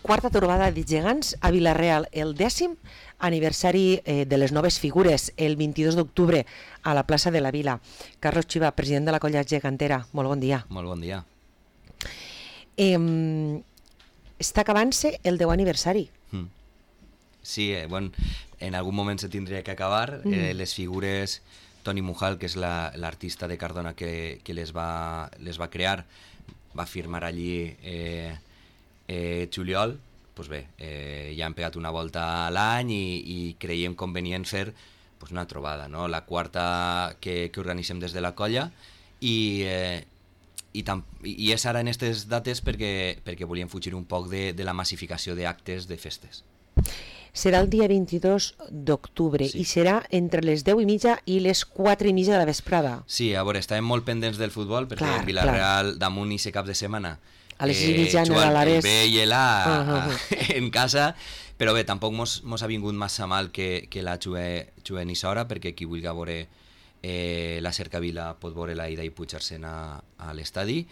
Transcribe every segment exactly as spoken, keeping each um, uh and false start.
quarta trobada de gegants a Vila-real, el dècim aniversari eh, de les noves figures, el vint-i-dos d'octubre a la plaça de la Vila. Carlos Chiva, president de la colla gegantera, molt bon dia. Molt bon dia. Eh, està acabant-se el deu aniversari. Mm. Sí, eh, bueno, en algun moment se tindria que acabar. Mm. Eh, les figures, Toni Mujal, que és l'artista la, de Cardona que, que les, va, les va crear, va firmar allí eh, eh, juliol. Pues bé, eh, ja hem pegat una volta a l'any i, i creiem convenient fer pues, una trobada, no? La quarta que, que organitzem des de la colla i, eh, i, tam, i és ara en aquestes dates perquè, perquè volíem fugir un poc de, de la massificació d'actes de festes. Serà el dia vint-i-dos d'octubre sí. I serà entre les deu i mitja i les quatre i mitja de la vesprada. Sí, a veure, estàvem molt pendents del futbol perquè clar, en Vila-real clar. Damunt i se cap de setmana a les eh, jugant el B i l'A uh -huh. en casa, però bé, tampoc mos, mos ha vingut massa mal que, que la juguem a Isora, perquè qui vulgui veure eh, la Cercavila pot veure la ida i pujar-se'n a, a l'estadi.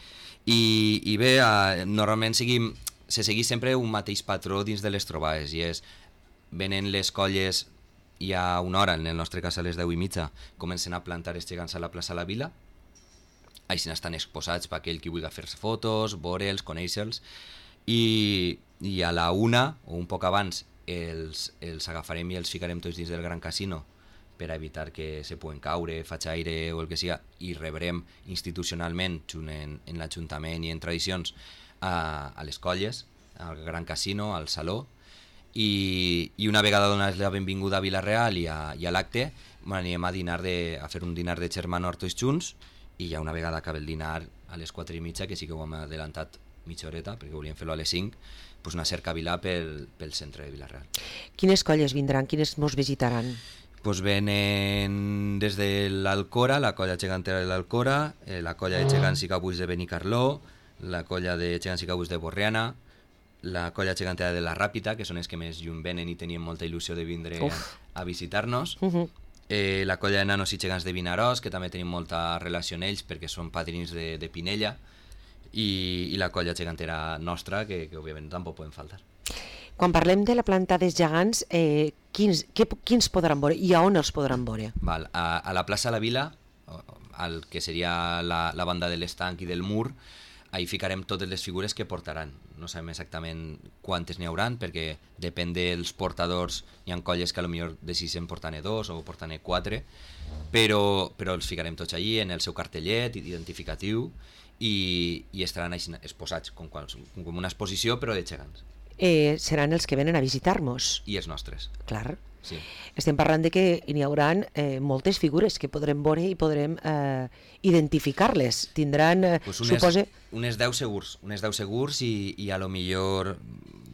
I, i bé, eh, normalment seguim, se segueix sempre un mateix patró dins de les trobades, i és venen les colles i a una hora, en el nostre cas a les deu i mitja, comencen a plantar els gegants a la plaça La Vila. Així estan exposats per aquell qui vulgui fer-se fotos, veure'ls, conèixer-los, i, i a la una, o un poc abans, els, els agafarem i els ficarem tots dins del Gran Casino per a evitar que se puguen caure, faig aire o el que sigui, i rebrem institucionalment, junt en, en l'Ajuntament i en tradicions, a, a les colles, al Gran Casino, al Saló, i, i una vegada donats la benvinguda a Vila-real i a, i a l'acte, anem a, dinar de, a fer un dinar de germanor tots junts, i ja una vegada acaba el dinar a les quatre i mitja, que sí que ho hem adelantat mitja horeta, perquè volíem fer-lo a les cinc, pues una cercavila pel, pel centre de Vila-real. Quines colles vindran? Quines mos visitaran? Pues venen des de l'Alcora, la colla gegantera de l'Alcora, eh, la colla de gegants i cabuts de Benicarló, la colla de gegants i cabuts de Borriana, la colla gegantera de la Ràpita, que són els que més lluny venen i tenien molta il·lusió de vindre a, a visitar-nos. Uh -huh. Eh, la colla de nanos i gegants de Vinaròs, que també tenim molta relació amb ells perquè són padrins de, de Pinella, i, i la colla gegantera nostra, que, que òbviament tampoc poden faltar. Quan parlem de la planta dels gegants, eh, quins, que, quins podran veure i a on els podran veure? Val, a, a la plaça La Vila, el que seria la, la banda de l'estanc i del mur, ahí ficarem totes les figures que portaran. No sabem exactament quantes n'hi hauran, perquè depèn dels portadors. Hi ha colles que potser decideixen portar-ne dos o portar-ne quatre, però, però els ficarem tots allí en el seu cartellet identificatiu i, i estaran així exposats com, com una exposició, però de gegants. Eh, seran els que venen a visitar-nos. I els nostres. Clar. Sí. Estem parlant de que n'hi haurà eh, moltes figures que podrem veure i podrem eh, identificar-les. Tindran, eh, pues unes, supose... Unes deu segurs, unes deu segurs i, i a lo millor,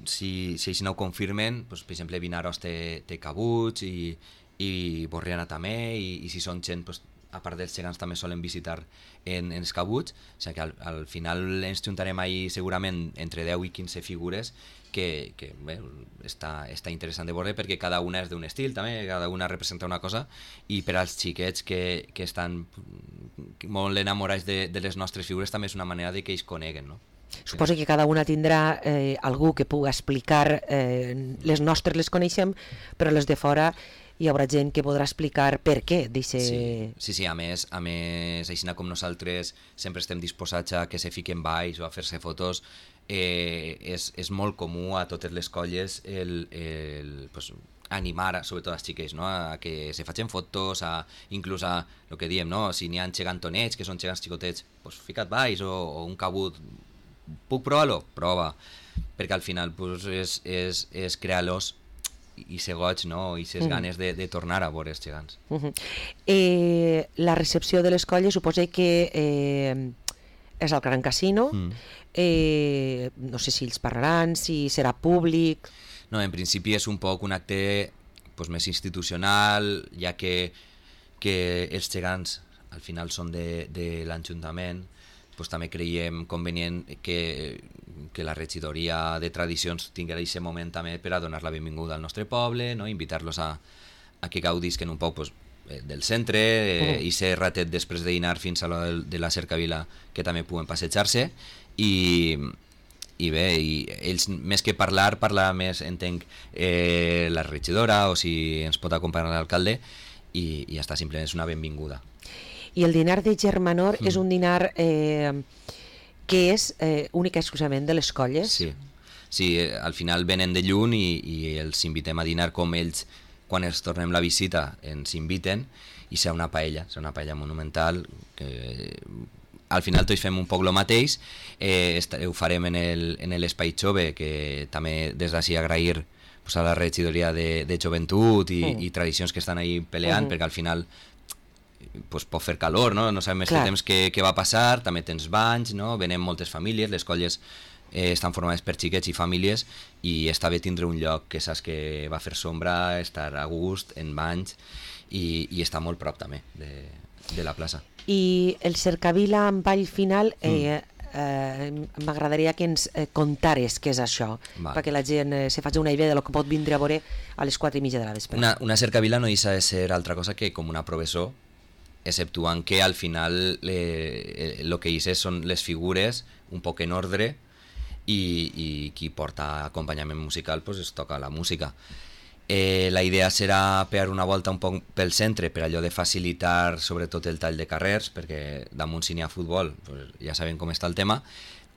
si, si així no ho confirmen, pues, per exemple, Vinaròs té, té cabuts i, i Borriana també, i, i si són gent, pues, a part dels gegants també solen visitar en, en els cabuts, o sigui que al, al final ens juntarem ahí segurament entre deu i quinze figures que, que bé, està, està interessant de veure perquè cada una és d'un estil també, cada una representa una cosa, i per als xiquets que, que estan molt enamorats de, de les nostres figures també és una manera de que ells coneguen, no? Suposo que cada una tindrà eh, algú que pugui explicar, eh, les nostres les coneixem, però les de fora hi haurà gent que podrà explicar per què deixe... Sí, sí, sí, a més, a més, així com nosaltres sempre estem disposats a que se fiquen baix o a fer-se fotos, eh, és, és molt comú a totes les colles el, el, pues, animar, sobretot als xiquets, no? A que se facin fotos, a, inclús a el que diem, no? Si n'hi ha gegantonets, que són gegants xicotets, pues, fica't baix, o, o un cabut, puc provar-lo? Prova, perquè al final pues, és, és, és crear-los i ser goig, no? I ser uh -huh. ganes de, de tornar a veure els gegants. Uh -huh. eh, la recepció de les colles suposa que eh, és al Gran Casino, uh -huh. eh, no sé si ells parlaran, si serà públic... No, en principi és un poc un acte pues, més institucional, ja que, que els gegants al final són de, de l'Ajuntament, pues, també creiem convenient que, que la regidoria de tradicions tingui aquest moment també per a donar la benvinguda al nostre poble, no? Invitar-los a, a que gaudisquen un poc pues, del centre eh, uh-huh. i ser ratet després de dinar fins a la de la Cercavila que també puguen passejar-se i, i bé, i ells més que parlar, parlar més, entenc, eh, la regidora o si ens pot acompanyar l'alcalde, i, i ja està, simplement és una benvinguda. I el dinar de Germanor mm. és un dinar eh, que és eh, únic i exclusivament de les colles? Sí, sí, al final venen de lluny i, i els invitem a dinar com ells, quan els tornem la visita, ens inviten, i serà una paella, serà una paella monumental, que al final tots fem un poc el mateix, eh, ho farem en l'Espai Jove, que també des d'ací agrair pues, a la regidoria de, de joventut i, mm. i tradicions que estan ahí peleant, mm. perquè al final pues, pot fer calor, no, no sabem més que temps què, què va passar, també tens banys, no? Venen moltes famílies, les colles eh, estan formades per xiquets i famílies, i està bé tindre un lloc que saps que va fer sombra, estar a gust, en banys, i, i està molt prop també de, de la plaça. I el cercavila amb ball final, eh, mm. eh, m'agradaria que ens eh, contares què és això, vale. Perquè la gent eh, se faci una idea de lo que pot vindre a veure a les quatre i mitja de la vespre. Una, una cercavila no deixa de ser altra cosa que com una professó, exceptuant que al final el eh, eh, que hi són les figures un poc en ordre, i, i qui porta acompanyament musical pues, es toca la música. Eh, la idea serà pegar una volta un poc pel centre, per allò de facilitar sobretot el tall de carrers, perquè damunt si n'hi ha futbol pues ja sabem com està el tema,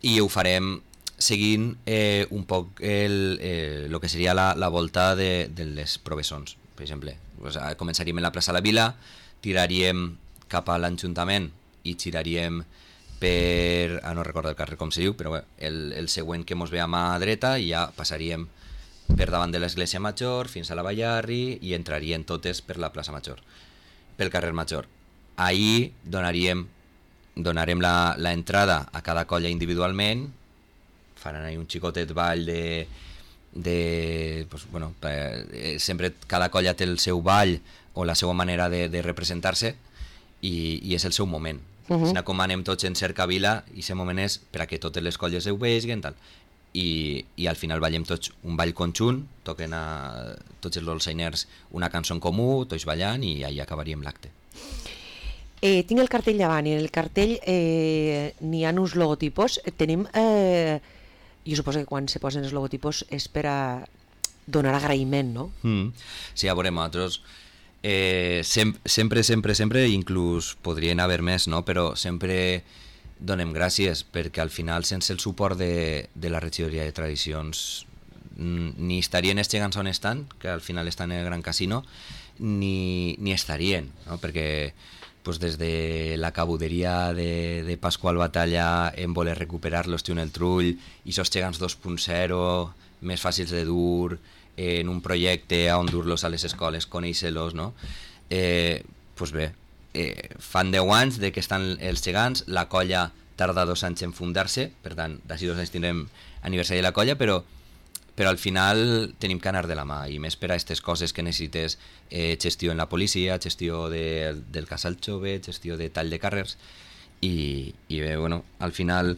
i ho farem seguint eh, un poc el, eh, el que seria la, la volta de, de les professons. Per exemple, pues, començaríem en la plaça de la Vila, tiraríem cap a l'Ajuntament i giraríem per... Ah, no recordo el carrer com se diu, però bé, el, el següent que mos ve a mà dreta, i ja passaríem per davant de l'Església Major fins a la Ballarri i entrarien totes per la plaça Major, pel carrer Major. Ahí donaríem, donarem l'entrada a cada colla individualment, faran ahí un xicotet ball de... de pues, bueno, eh, sempre cada colla té el seu ball o la seva manera de, de representar-se, i, i és el seu moment. Uh-huh. Si com anem tots en cercavila, i aquest moment és per a que totes les colles ho vegin, tal. I, i al final ballem tots un ball conjunt, toquen a tots els dolçainers una cançó en comú, tots ballant, i ahí acabaríem l'acte. Eh, tinc el cartell davant, i en el cartell eh, n'hi ha uns logotipos. Tenim, eh, jo suposo que quan se posen els logotipos és per a donar agraïment, no? Mm. Sí, a veure, nosaltres eh, sem sempre, sempre, sempre, inclús podrien haver més, no? Però sempre donem gràcies, perquè al final sense el suport de, de la regidoria de tradicions ni estarien els gegants on estan, que al final estan en el Gran Casino, ni, ni estarien, no? Perquè pues, des de la cabuderia de, de Pasqual Batalla en voler recuperar l'Hostiu en el Trull, i esos gegants dos punt zero més fàcils de dur, eh, en un projecte on dur-los a les escoles, conèixer-los, no? Eh, pues bé, Eh, fan deu anys de que estan els gegants, la colla tarda dos anys en fundar-se, per tant, d'ací dos anys tindrem aniversari de la colla, però, però al final tenim que anar de la mà, i més per a aquestes coses que necessites eh, gestió en la policia, gestió de, del casal jove, gestió de tall de carrers, i, i bé, bueno, al final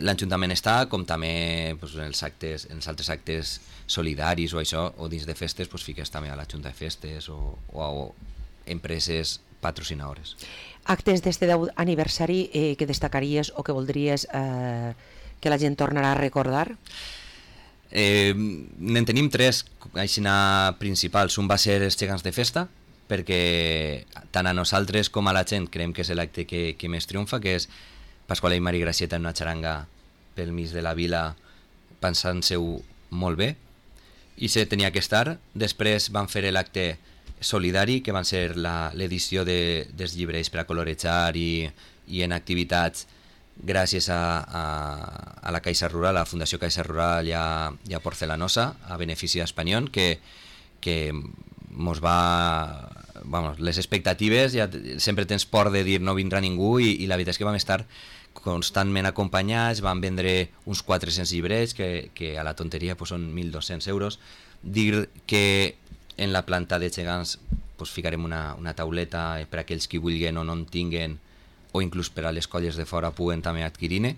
l'Ajuntament està, com també pues, en els actes, en els altres actes solidaris o això, o dins de festes, pues, fiques també a la Junta de Festes o, o a empreses patrocinadores. Actes d'este deu aniversari eh, que destacaries o que voldries eh, que la gent tornarà a recordar? Eh, en tenim tres així principals. Un va ser els gegants de festa, perquè tant a nosaltres com a la gent creiem que és l'acte que, que més triomfa, que és Pasqual i Mari Gracieta en una xaranga pel mig de la vila, pensant-se-ho molt bé, i se tenia que estar. Després van fer l'acte solidari, que van ser l'edició de, dels llibres per a colorejar i, i en activitats gràcies a, a, a la Caixa Rural, a la Fundació Caixa Rural i a, i a Porcelanosa, a benefici d'Espanyol, que, que mos va... Vamos, les expectatives, ja sempre tens por de dir no vindrà ningú, i, i la veritat és que vam estar constantment acompanyats, van vendre uns quatre-cents llibrets, que, que a la tonteria pues, són mil dos-cents euros. Dir que en la planta de gegants pues, ficarem una, una tauleta per a aquells que vulguin o no en tinguen, o inclús per a les colles de fora puguen també adquirir-ne,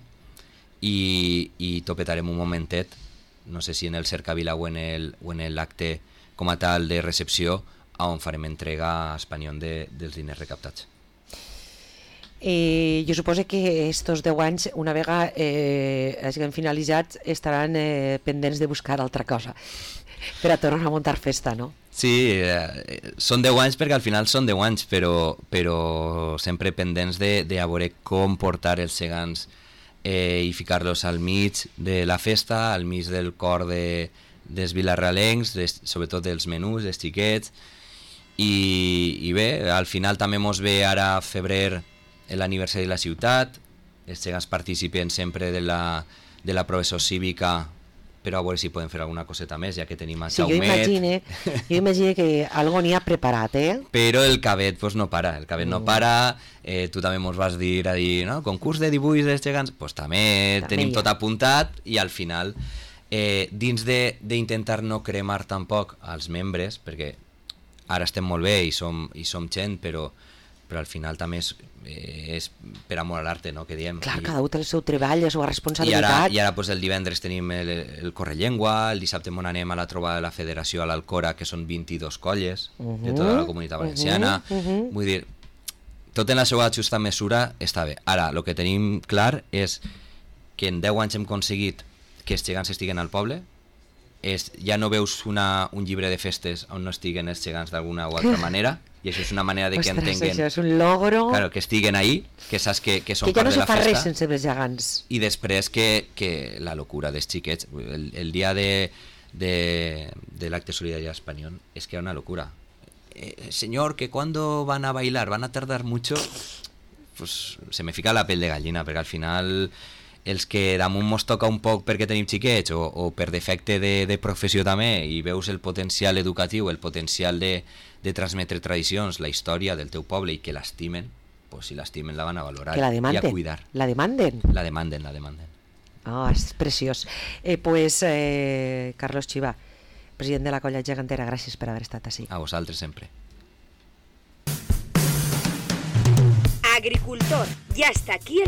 i, i topetarem un momentet, no sé si en el cercavila o en l'acte com a tal de recepció, on farem entrega a Espanyol de, dels diners recaptats. I jo suposo que estos deu anys, una vegada eh, hagin finalitzat, estaran eh, pendents de buscar altra cosa per a tornar a muntar festa, no? Sí, eh, són deu anys perquè al final són deu anys, però, però sempre pendents de, de a veure com portar els gegants eh, i ficar-los al mig de la festa, al mig del cor de, dels vilarralencs, des, sobretot dels menús, dels xiquets, i, i bé, al final també mos ve ara a febrer l'aniversari de la ciutat, els gegants participen sempre de la, de la professor cívica, però a veure si podem fer alguna coseta més, ja que tenim a Sí, jo Jaumet. imagine, jo imagine que algo n'hi ha preparat, eh? Però el cabet pues, no para, el cabet mm. no para, eh, tu també mos vas dir a dir, no? Concurs de dibuix dels gegants, pues també, també tenim tot apuntat, i al final, eh, dins d'intentar no cremar tampoc als membres, perquè ara estem molt bé i som, i som gent, però, però al final també és, eh, és per amor a l'arte, no?, que diem. Clar, I, cada un té el seu treball, la seva I responsabilitat. ara, i ara pues, el divendres tenim el, el Correllengua, el dissabte mon anem a la trobada de la Federació a l'Alcora, que són vint-i-dos colles uh -huh, de tota la comunitat valenciana. Uh -huh, uh -huh. Vull dir, tot en la seva justa mesura està bé. Ara, el que tenim clar és que en deu anys hem aconseguit que els gegants estiguen al poble. És, ja no veus una, un llibre de festes on no estiguen els gegants d'alguna o altra manera, i això és una manera de que Ostres, entenguen, això és un logro, claro, que estiguen ahí, que saps que, que són que ja part no de se la fa festa, res sense els gegants. i després que, que la locura dels xiquets, el, el dia de, de, de l'acte solidari espanyol és que era una locura. Eh, señor, que cuando van a bailar, van a tardar mucho, pues se me fica la pell de gallina, perquè al final els que damunt mos toca un poc perquè tenim xiquets o, o per defecte de, de professió també, i veus el potencial educatiu, el potencial de, de transmetre tradicions, la història del teu poble, i que l'estimen, pues si l'estimen la van a valorar Que la demanden. i a cuidar. La demanden. La demanden, la demanden. Ah, oh, és preciós. Eh, pues, eh, Carlos Chiva, president de la Colla Gegantera, gràcies per haver estat així. A vosaltres sempre. Agricultor, ya está aquí el